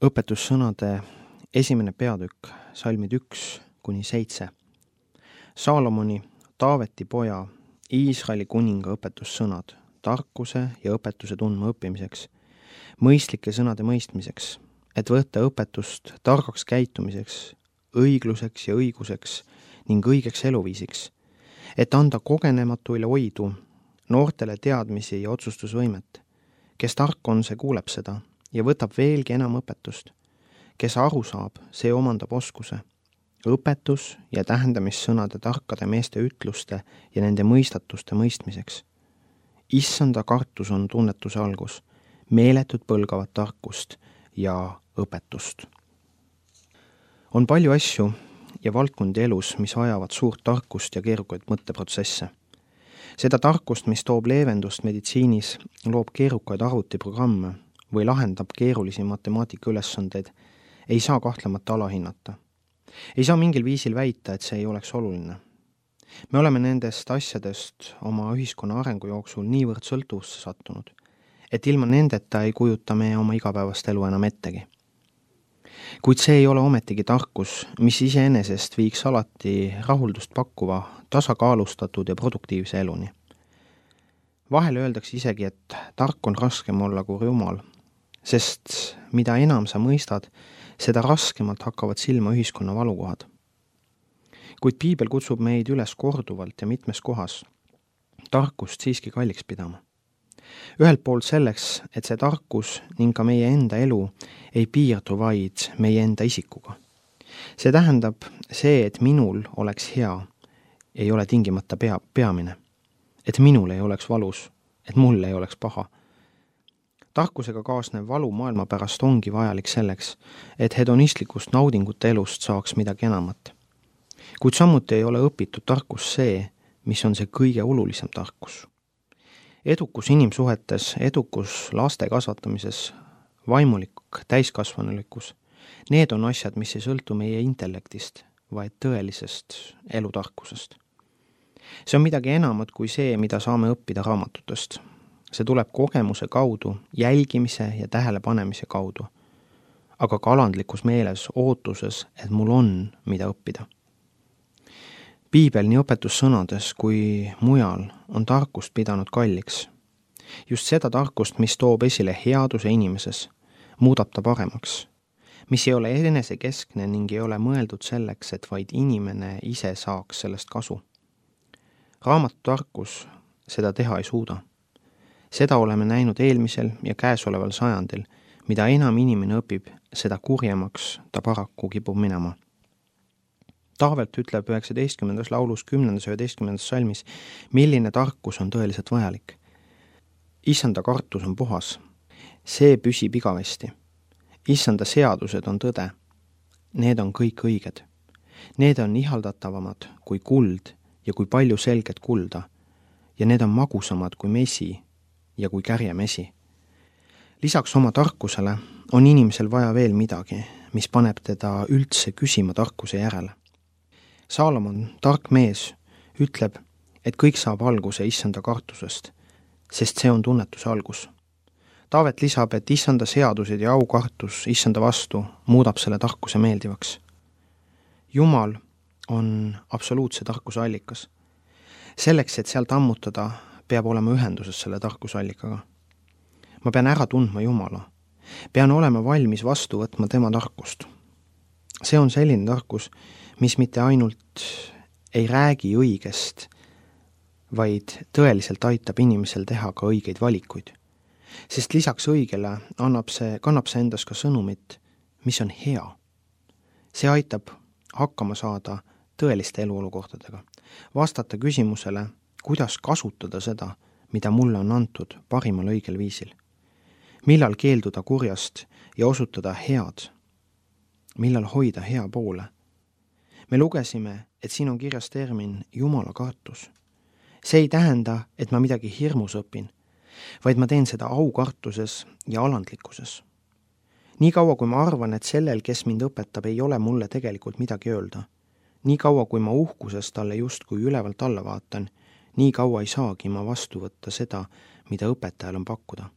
Õpetussõnade esimene peatükk, salmid 1-7. Saalomoni, Taaveti poja, Iisraeli kuninga õpetussõnad, tarkuse ja õpetuse tundma õppimiseks, mõistlike sõnade mõistmiseks, et võtta õpetust targaks käitumiseks, õigluseks ja õiguseks ning õigeks eluviisiks, et anda kogenematuile oidu, noortele teadmisi ja otsustusvõimet. Kes tark on, see kuuleb seda ja võtab veelgi enam õpetust. Kes aru saab, see omandab oskuse. Õpetus ja tähendamissõnade tarkade meeste ütluste ja nende mõistatuste mõistmiseks. Issanda kartus on tunnetuse algus, meeletud põlgavat tarkust ja õpetust. On palju asju ja valdkondi elus, mis vajavad suurt tarkust ja keerukaid mõtteprotsesse. Seda tarkust, mis toob leevendust meditsiinis, loob keerukaid arvutiprogramme või lahendab keerulisi matemaatika ülesandeid, ei saa kahtlemata alahinnata. Ei saa mingil viisil väita, et see ei oleks oluline. Me oleme nendest asjadest oma ühiskonna arengu jooksul niivõrd sõltuvusse sattunud, et ilma nendeta ei kujuta me oma igapäevast elu enam ettegi. Kuid see ei ole ometigi tarkus, mis iseenesest viiks alati rahuldust pakkuva, tasakaalustatud ja produktiivse eluni. Vahel öeldakse isegi, et tark on raskem olla kui rumal, sest mida enam sa mõistad, seda raskemalt hakkavad silma ühiskonna valukohad. Kuid piibel kutsub meid üles korduvalt ja mitmes kohas tarkust siiski kalliks pidama. Ühelt poolt selleks, et see tarkus ning ka meie enda elu ei piirdu vaid meie enda isikuga. See tähendab see, et minul oleks hea, ei ole tingimata peamine. Et minul ei oleks valus, et mul ei oleks paha. Tarkusega kaasnev valu maailma pärast ongi vajalik selleks, et hedonistlikust naudingute elust saaks midagi enamat. Kuid samuti ei ole õpitud tarkus see, mis on see kõige olulisem tarkus. Edukus inimsuhetes, edukus laste kasvatamises, vaimulik täiskasvanulikkus, need on asjad, mis ei sõltu meie intellektist, vaid tõelisest elutarkusest. See on midagi enamat kui see, mida saame õppida raamatutest. See tuleb kogemuse kaudu, jälgimise ja tähelepanemise kaudu, aga ka alandlikus meeles ootuses, et mul on, mida õppida. Piibel nii õpetussõnades kui mujal on tarkust pidanud kalliks. Just seda tarkust, mis toob esile headuse inimeses, muudab ta paremaks, mis ei ole enesekeskne ning ei ole mõeldud selleks, et vaid inimene ise saaks sellest kasu. Raamatu tarkus seda teha ei suuda. Seda oleme näinud eelmisel ja käesoleval sajandil, mida enam inimene õpib, seda kurjemaks ta paraku kipub minema. Taavelt ütleb 19. laulus 10. ja 11. salmis, milline tarkus on tõeliselt vajalik. Issanda kartus on puhas. See püsib igavesti. Issanda seadused on tõde. Need on kõik õiged. Need on ihaldatavamad kui kuld ja kui palju selget kulda. Ja need on magusamad kui mesi ja kui kärjemesi. Lisaks oma tarkusele on inimesel vaja veel midagi, mis paneb teda üldse küsima tarkuse järele. Saalomon, tark mees, ütleb, et kõik saab alguse issanda kartusest, sest see on tunnetuse algus. Taavet lisab, et issanda seadused ja aukartus issanda vastu muudab selle tarkuse meeldivaks. Jumal on absoluutse tarkuse allikas. Selleks, et sealt ammutada, peab olema ühenduses selle tarkusallikaga. Ma pean ära tundma Jumala. Pean olema valmis vastu võtma tema tarkust. See on selline tarkus, mis mitte ainult ei räägi õigest, vaid tõeliselt aitab inimesel teha ka õigeid valikuid. Sest lisaks õigele kannab see endas ka sõnumit, mis on hea. See aitab hakkama saada tõeliste eluolukordadega, vastata küsimusele, kuidas kasutada seda, mida mulle on antud parimal õigel viisil. Millal keelduda kurjast ja osutada head, millal hoida hea poole. Me lugesime, et siin on kirjas termin Jumala kartus. See ei tähenda, et ma midagi hirmus õpin, vaid ma teen seda aukartuses ja alandlikkuses. Nii kaua, kui ma arvan, et sellel, kes mind õpetab, ei ole mulle tegelikult midagi öelda. Nii kaua, kui ma uhkuses talle justkui ülevalt alla vaatan, nii kaua ei saagi ma vastu võtta seda, mida õpetajal on pakkuda.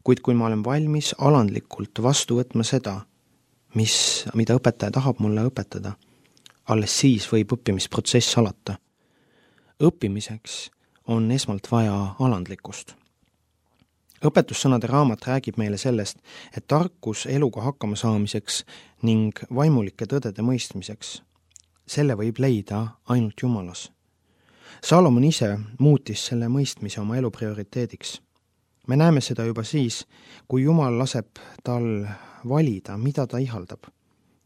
kuid kui ma olen valmis alandlikult vastu võtma seda, mida õpetaja tahab mulle õpetada, alles siis võib õppimisprotsess alata. Õppimiseks on esmalt vaja alandlikkust. Õpetussõnade raamat räägib meile sellest, et tarkus eluga hakkama saamiseks ning vaimulike tõdede mõistmiseks, selle võib leida ainult Jumalas. Salomon ise muutis selle mõistmise oma elu prioriteediks. Me näeme seda juba siis, kui Jumal laseb tal valida, mida ta ihaldab,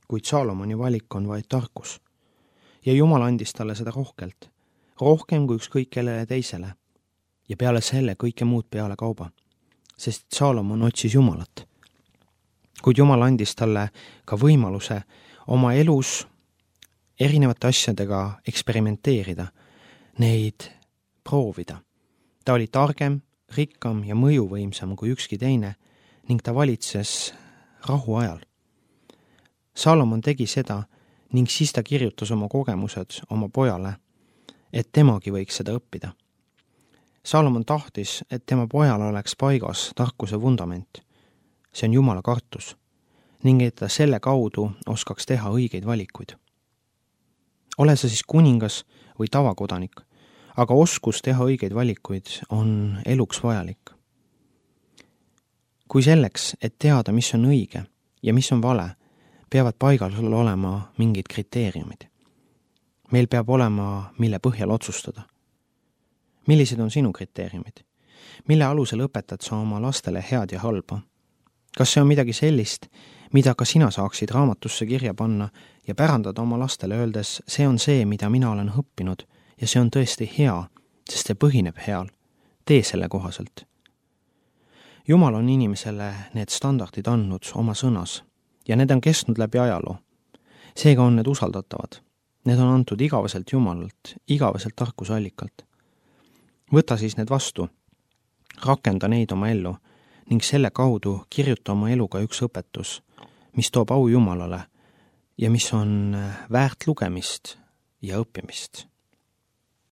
kuid Salomoni valik on vaid tarkus. Ja Jumal andis talle seda rohkelt, rohkem kui ükskõik kellele teisele, ja peale selle kõike muud peale kauba, sest Salomon otsis Jumalat. Kuid Jumal andis talle ka võimaluse oma elus erinevate asjadega eksperimenteerida, neid proovida. Ta oli targem, rikkam ja mõjuvõimsam kui ükski teine ning ta valitses rahu ajal. Salomon tegi seda ning siis ta kirjutas oma kogemused oma pojale, et temagi võiks seda õppida. Salomon tahtis, et tema pojal oleks paigas tarkuse vundament. See on Jumala kartus ning et ta selle kaudu oskaks teha õigeid valikuid. Ole sa siis kuningas või tavakodanik, aga oskus teha õigeid valikuid on eluks vajalik. Kui selleks, et teada, mis on õige ja mis on vale, peavad paigal olema mingid kriteeriumid. Meil peab olema, mille põhjal otsustada. Millised on sinu kriteeriumid? Mille alusel õpetad sa oma lastele head ja halba? Kas see on midagi sellist, mida ka sina saaksid raamatusse kirja panna ja pärandada oma lastele öeldes, see on see, mida mina olen õppinud ja see on tõesti hea, sest see põhineb heal. Tee selle kohaselt. Jumal on inimesele need standardid andnud oma sõnas ja need on kestnud läbi ajaloo. Seega on need usaldatavad. Need on antud igaveselt Jumalalt, igaveselt tarkusallikalt. Võta siis need vastu, rakenda neid oma ellu ning selle kaudu kirjuta oma eluga üks õpetus, mis toob au Jumalale ja mis on väärt lugemist ja õppimist.